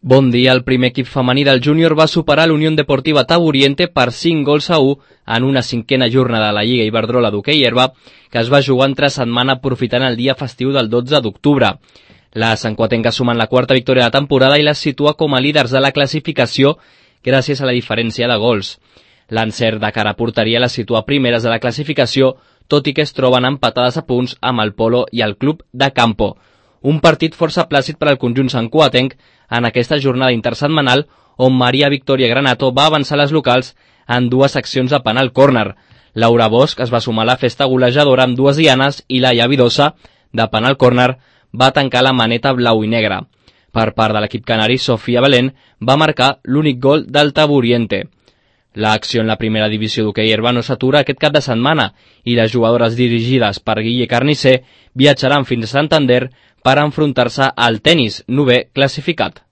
Bon dia, el primer equip femení del júnior va superar l'Unió Deportiva Taburiente per 5-1 en una cinquena jornada de la Lliga Iberdrola d'hoquei herba que es va jugar entre setmana aprofitant el dia festiu del 12 d'octubre. La santcuatenca sumen la quarta victòria de la temporada i les situa com a líders de la classificació gràcies a la diferència de gols. L'encert de cara a porteria les situa primeres de la classificació, tot i que es troben empatades a punts amb el Polo i el Club de Campo. Un partit força plàcid per al conjunt santcuatenc en aquesta jornada intersetmanal on Maria Victòria Granato va avançar les locals en dues accions de penal córner. Laura Bosch es va sumar a la festa golejadora amb dues dianes i Laia Vidosa, de penal córner, va tancar la maneta blau i negra. Per part de l'equip canari, Sofia Belén va marcar l'únic gol del Taburiente. L'acció en la primera divisió d'hoquei herba no s'atura aquest cap de setmana i les jugadores dirigides per Guille Carnicer viatjaran fins a Santander per enfrontar-se al tennis, novè classificat.